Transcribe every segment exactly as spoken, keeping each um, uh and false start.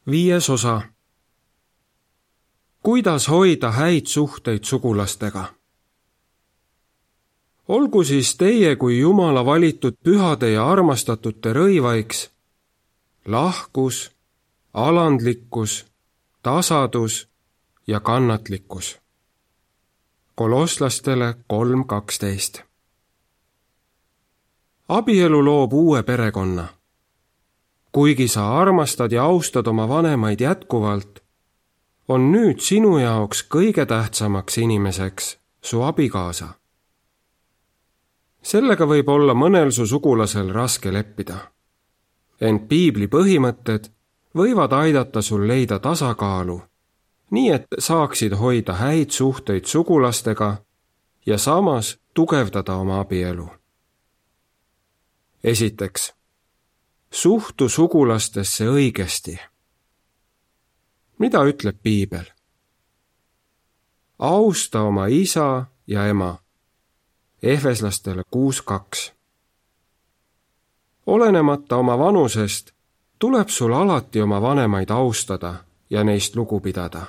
Viies osa. Kuidas hoida häid suhteid sugulastega? Olgu siis teie kui Jumala valitud pühade ja armastatute rõivaiks lahkus, alandlikkus, tasadus ja kannatlikkus. Kolosslastele kolm kaksteist. Abielu loob uue perekonna. Kuigi sa armastad ja austad oma vanemaid jätkuvalt, on nüüd sinu jaoks kõige tähtsamaks inimeseks su abikaasa. Sellega võib olla mõnel su sugulasel raske leppida. Ent piibli põhimõtted võivad aidata sul leida tasakaalu, nii et saaksid hoida häid suhteid sugulastega ja samas tugevdada oma abielu. Esiteks, suhtu sugulastesse õigesti. Mida ütleb piibel? Austa oma isa ja ema. Efeslastele kuus kaks. Olenemata oma vanusest tuleb sul alati oma vanemaid austada ja neist lugu pidada.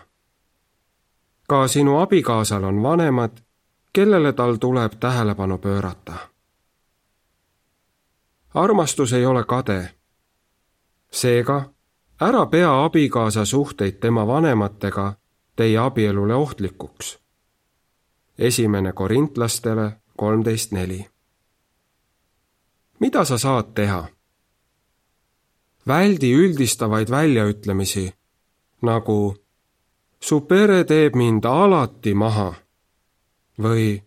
Ka sinu abikaasal on vanemad, kellele tal tuleb tähelepanu pöörata. Armastus ei ole kade. Seega, ära pea abikaasa suhteid tema vanematega teie abielule ohtlikuks. Esimene Korintlastele kolmteist neli. Mida sa saad teha? Väldi üldistavaid väljaütlemisi, nagu su pere teeb mind alati maha või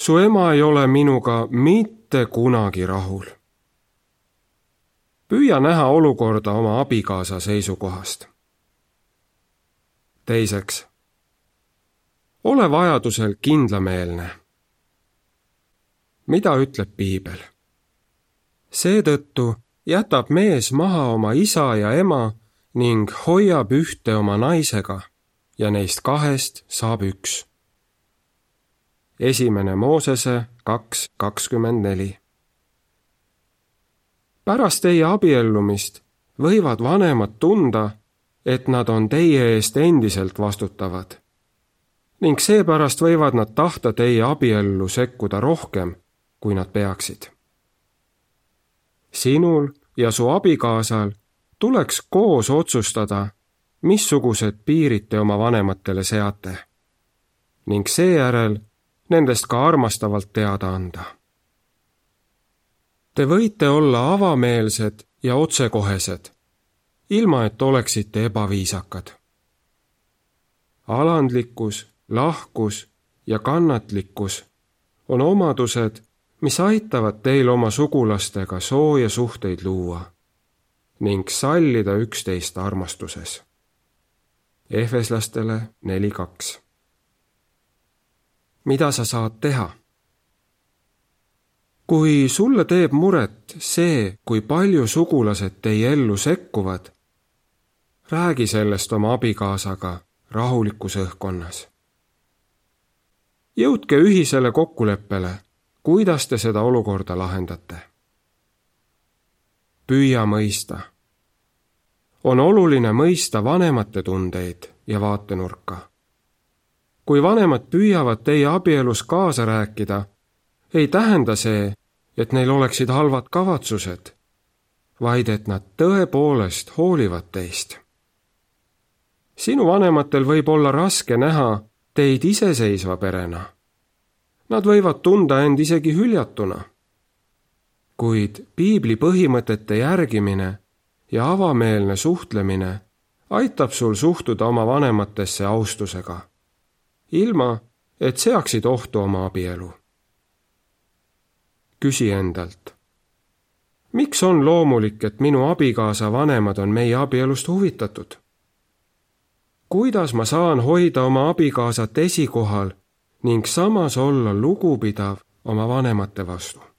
su ema ei ole minuga mitte kunagi rahul. Püüa näha olukorda oma abikaasa seisukohast. Teiseks, ole vajadusel kindlameelne. Mida ütleb piibel? Seetõttu jätab mees maha oma isa ja ema ning hoiab ühte oma naisega ja neist kahest saab üks. Esimene Moosese kaks kakskümmend neli. Pärast teie abiellumist võivad vanemad tunda, et nad on teie eest endiselt vastutavad. Ning seepärast võivad nad tahta teie abiellu sekkuda rohkem, kui nad peaksid. Sinul ja su abikaasal tuleks koos otsustada, missugused piirid te oma vanematele seate, ning seejärel nendest ka armastavalt teada anda. Te võite olla avameelsed ja otsekohesed, ilma et oleksite ebaviisakad. Alandlikkus, lahkus ja kannatlikkus on omadused, mis aitavad teil oma sugulastega sooja suhteid luua ning sallida üksteist armastuses. Efeslastele neli kaks. Mida sa saad teha? Kui sulle teeb muret see, kui palju sugulased teie ellu sekkuvad, räägi sellest oma abikaasaga rahulikus õhkkonnas. Jõudke ühisele kokkuleppele, kuidas te seda olukorda lahendate. Püüa mõista. On oluline mõista vanemate tundeid ja vaatenurka. Kui vanemad püüavad teie abielus kaasa rääkida, ei tähenda see, et neil oleksid halvad kavatsused, vaid et nad tõepoolest hoolivad teist. Sinu vanematel võib olla raske näha teid iseseisva perena. Nad võivad tunda end isegi hüljatuna. Kuid piibli põhimõtete järgimine ja avameelne suhtlemine aitab sul suhtuda oma vanematesse austusega, ilma et seaksid ohtu oma abielu. Küsi endalt, miks on loomulik, et minu abikaasa vanemad on meie abielust huvitatud? Kuidas ma saan hoida oma abikaasat esikohal ning samas olla lugupidav oma vanemate vastu?